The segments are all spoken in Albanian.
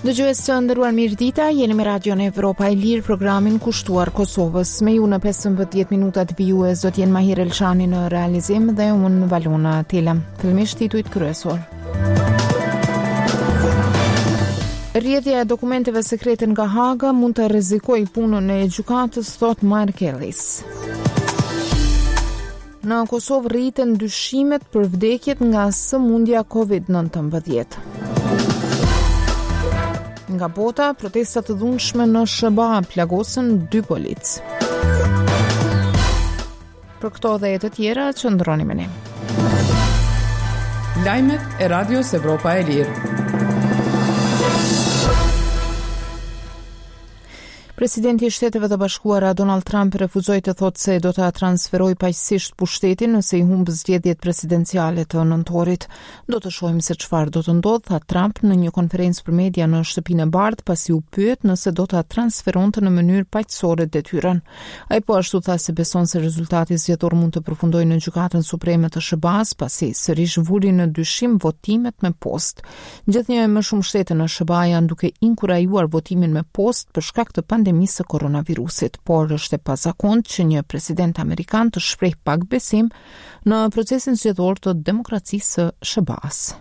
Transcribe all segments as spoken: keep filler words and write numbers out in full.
Dëgjues të nderuar, mirëdita, jeni me Radion Evropa e Lirë, programin kushtuar Kosovës. Me ju në pesëmbëdhjetë minutat vijues do të jenë Mahir Elshani në realizim dhe unë Valona Tela. Fillimisht titujt kryesor. Rrjedhja e dokumenteve sekrete nga Haga mund të rrezikojë punën e gjykatës, thotë Mark Ellis. Në Kosovë rriten dyshimet për vdekjet nga sëmundja Covid nëntëmbëdhjetë. Nga bota, protesta të dhunshme në S H B A plagosën dy policë. Për këto dhe të tjera, qëndroni me ne. Lajmet e Radios Evropa e Lirë. Presidenti i Shteteve të Bashkuara Donald Trump refuzoi të thotë se do ta transferojë paqësisht pushtetin nëse i humb zgjedhjet presidenciale të nëntorit. Do të shohim se çfarë do të ndodhë, tha Trump në një konferencë për media në Shtëpinë e Bardhë, pasi u pyet nëse do ta transferonte në mënyrë paqësore detyrën. Ai po ashtu tha se beson se rezultati zgjedhor mund të përfundojë në Gjykatën Supreme të S H B A-s, pasi sërish vuri në dyshim votimet me postë. Gjithnjë e më shumë shtete në S H B A janë duke inkurajuar votimin me postë për shkak të pandemisë së koronavirusit, por është e pazakontë që një president amerikan të shpreh pak besim në procesin zgjedhor të demokracisë së S H B A-s.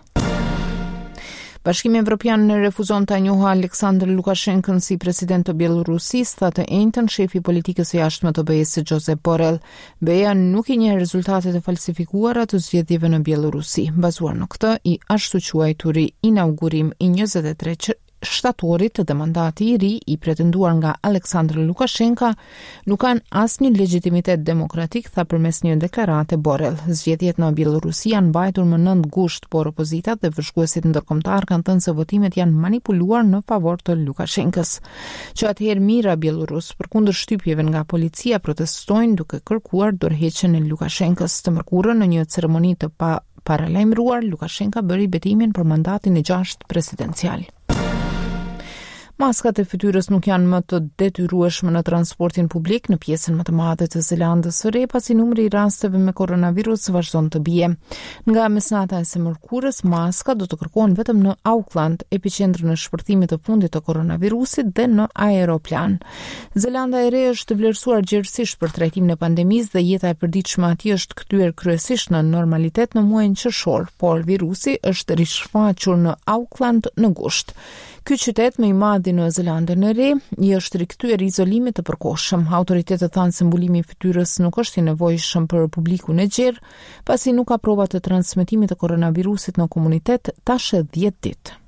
Bashkimi Evropian refuzon ta njohë Aleksandr Lukashenkën si president të Bjellorusisë, tha të enjten shefi i politikës së jashtme të B E-së Josep Borrell. B E-ja nuk i njeh rezultatet e falsifikuara të zgjedhjeve në Bjellorusi. Bazuar në këtë, i ashtuquajturi inaugurim i njëzet e tre që-, shtatorit dhe mandati i ri i pretenduar nga Aleksandr Lukashenka nuk kanë asnjë legjitimitet demokratik, tha përmes një deklarate Borrell. Zgjedhjet në Bjellorusi janë mbajtur më nëntë gusht, por opozitat dhe vëzhguesit ndërkombëtar kanë thënë se votimet janë manipuluar në favor të Lukashenkës. Që atëherë mijëra bjellorus përkundër shtypjeve nga policia protestojnë duke kërkuar dorëheqjen e Lukashenkës. Të mërkurën në një ceremoni të pa paralajmëruar, Lukashenka bëri betimin për mandatin e gjashtë presidencial. Maskat e fytyrës nuk janë më të detyrueshme në transportin publik në pjesën më të madhe të Zelandës së Re, pasi numri i rasteve me koronavirus vazhdon të bie. Nga mesnata e së mërkurës, maskat do të kërkohen vetëm në Auckland, epiqendrën e shpërthimit të fundit të koronavirusit, dhe në aeroplan. Zelanda e Re është vlerësuar gjerësisht për trajtimin e pandemisë dhe jeta e përditshme atje është kthyer kryesisht në normalitet në muajin qershor, por virusi është rishfaqur në Auckland në gusht. Ky qytet më i madh në Zelandën e Re i është rikthyer izolimit të përkohshëm. Autoritetet thanë se mbulimi i fytyrës nuk është i nevojshëm për publikun e gjerë, pasi nuk ka prova të transmetimit të koronavirusit në komunitet tash e dhjetë ditë.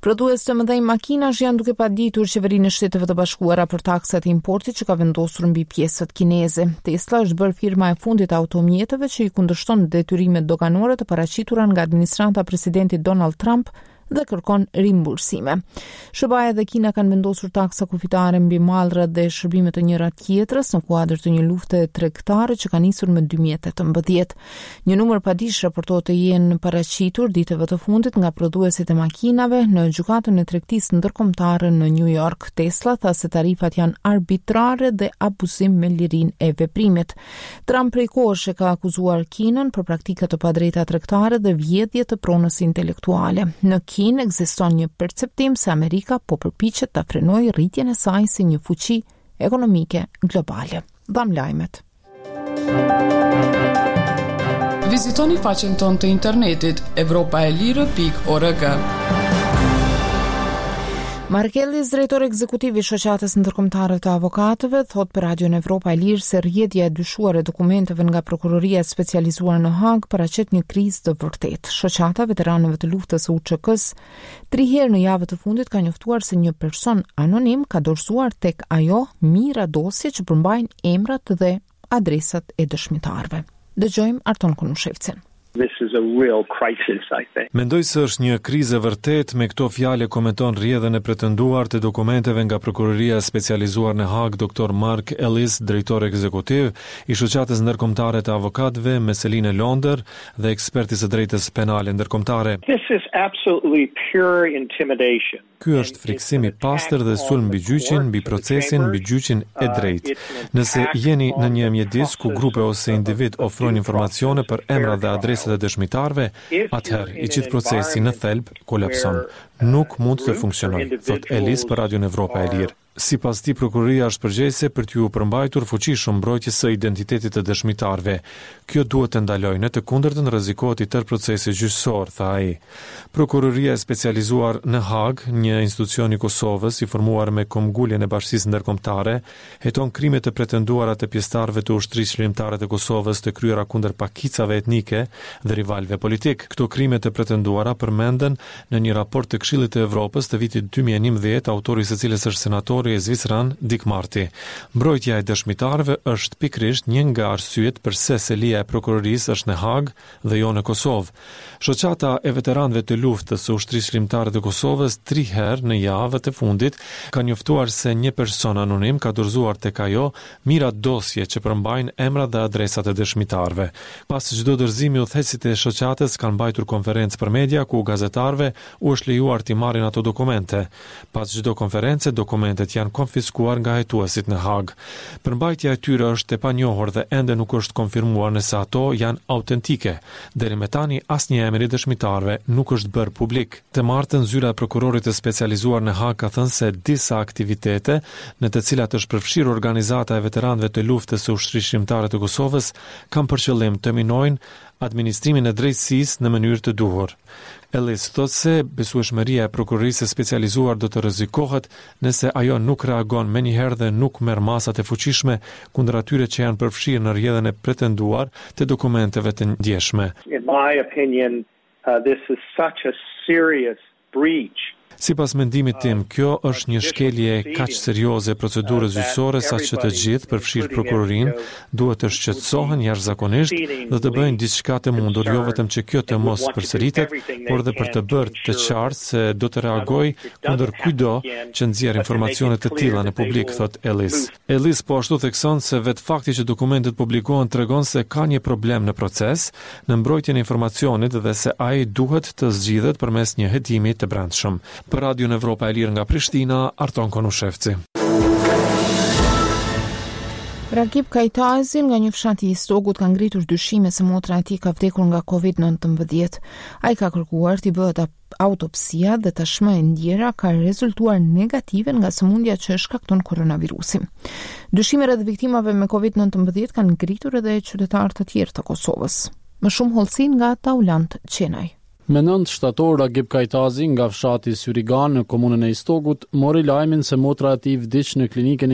Prodhues të mëdhenj makinash janë duke paditur qeverinë e Shteteve të Bashkuara për taksat e importit që ka vendosur mbi pjesët kineze. Tesla është bërë firma e fundit e automjeteve që i kundërshton detyrimet doganore të paraqitura nga administrata e presidentit Donald Trump dhe kërkon rimbursime. S H B A dhe Kina kanë vendosur taksa kufitare mbi mallrat dhe shërbimet e njëra tjetrës në kuadër të një lufte tregtare që ka nisur më dy mijë e tetëmbëdhjetë. Një numër padish raportohet të jenë paraqitur ditëve të fundit nga prodhuesit e makinave në gjykatën e tregtisë ndërkombëtare në New York. Tesla tha se tarifat janë arbitrare dhe abuzim me lirinë e veprimit. Trump prej kohësh e ka akuzuar Kinën për praktika të padrejta tregtare dhe vjedhje të pronës intelektuale. Në Kinë ekziston një perceptim se Amerika po përpiqet ta frenojë rritjen e saj si një fuqi ekonomike globale. Dham lajmet. Vizitoni faqen tonë të internetit evropa e lirë pikë org. Mark Ellis, drejtor ekzekutiv i Shoqatës Ndërkombëtare të Avokatëve, thotë për Radion Evropa e Lirë se rrjedhja e dyshuar e dokumenteve nga prokuroria e specializuar në Hagë paraqet një krizë të vërtetë. Shoqata e Veteranëve të Luftës së U Ç K-s tri herë në javët e fundit ka njoftuar se një person anonim ka dorëzuar tek ajo mijëra dosje që përmbajnë emrat dhe adresat e dëshmitarëve. Dëgjojmë Arton Konushevcin. This is a real crisis, I think. Mendoj se është një krizë e vërtetë. Me këto fjalë komenton rrjedhën e pretenduar të dokumenteve nga Prokuroria e Specializuar në Hagë, Doktor Mark Ellis, drejtor ekzekutiv i Shoqatës Ndërkombëtare të Avokatëve me seli në Londër dhe ekspert i së drejtës penale ndërkombëtare. This is absolutely pure intimidation. Ky është frikësim i pastër dhe sulm mbi gjyqin, mbi procesin, mbi gjyqin e drejtë. Nëse jeni në një mjedis ku grupe ose individ ofrojnë informacione për emrat dhe adresat e dëshmitarëve, atëherë i gjithë procesi në thelb kolapson. Nuk mund të funksionojë, thotë Ellis për Radion Evropa e Lirë. Sipas tij, prokuroria është përgjegjëse për t'ju përmbajtur fuqishëm mbrojtjes së identitetit të dëshmitarëve. Kjo duhet të ndalojë, në të kundërtën rrezikohet i tërë procesi gjyqësor, tha ai. Prokuroria e Specializuar në Hagë, një institucion i Kosovës i formuar me këmbënguljen e bashkësisë ndërkombëtare, heton krimet e pretenduara të pjesëtarëve të Ushtrisë Çlirimtare të Kosovës të kryera kundër pakicave etnike dhe rivalëve politik. Këto krime të pretenduara përmenden në një raport të Këshillit të Evropës të vitit dy mijë e njëmbëdhjetë, autori i së cilës është senatori zviceran Dick Marty. Mbrojtja e dëshmitarëve është pikërisht një nga arsyet përse selia e prokurorisë është në Hagë dhe jo në Kosovë. Shoqata e veteranëve të luftës së Ushtrisë Çlirimtare të Kosovës tri herë në javët e fundit ka njoftuar se një person anonim ka dorëzuar tek ajo mijëra dosje që përmbajnë emrat dhe adresat e dëshmitarëve. Pas çdo dorëzimi, udhëheqësit e shoqatës kanë mbajtur konferencë për media ku gazetarëve u është lejuar t'i marrin ato dokumente. Pas çdo konference, dokumentet janë konfiskuar nga hetuesit në Hagë. Përmbajtja e tyre është e panjohur dhe ende nuk është konfirmuar nëse ato janë autentike. Deri më tani asnjë emër i dëshmitarëve nuk është bërë publik. Të martën, zyra e prokurorit të specializuar në Hagë ka thënë se disa aktivitete në të cilat është përfshirë organizata e veteranëve të luftës së Ushtrisë Çlirimtare të Kosovës kanë për qëllim të minojnë administrimin e drejtësisë në mënyrë të duhur. Ellis thotë se besueshmëria e prokurorisë së specializuar do të rrezikohet nëse ajo nuk reagon menjëherë dhe nuk merr masat e fuqishme kundër atyre që janë përfshirë në rrjedhën e pretenduar të dokumenteve të ndjeshme. In my opinion, uh, this is such a serious breach. Sipas mendimit tim, kjo është një shkelje kaq serioze e procedurës gjyqësore sa që të gjithë, përfshirë prokurorinë, duhet të shqetësohen jashtëzakonisht dhe të bëjnë diçka të mundur, jo vetëm që kjo të mos përsëritet, por edhe për të bërë të qartë se do të reagojë kundër kujtdo që nxjerr informacione të tilla në publik, thotë Ellis. Ellis po ashtu thekson se vetë fakti që dokumentet publikohen tregon se ka një problem në proces, në mbrojtjen e informacionit dhe se ai duhet të zgjidhet përmes një hetimi të brendshëm. Për Radion Evropa e Lirë nga Prishtina, Arton Konushevci. Rakip Kajtazi nga një fshat i Istogut ka ngritur dyshime se motra e tij ka vdekur nga Covid nëntëmbëdhjetë. Ai ka kërkuar t'i bëhet autopsia dhe tashmë e ndjera ka rezultuar negative nga sëmundja që shkakton koronavirusi. Dyshime rreth viktimave me Covid nëntëmbëdhjetë kanë ngritur edhe qytetarë të tjerë të Kosovës. Më shumë hollësi nga Taulant Qenaj. Me nëntë shtator, Ragip Kajtazi nga fshati Syrigan në komunën e Istogut mori lajmin se motra e tij vdiq në klinikën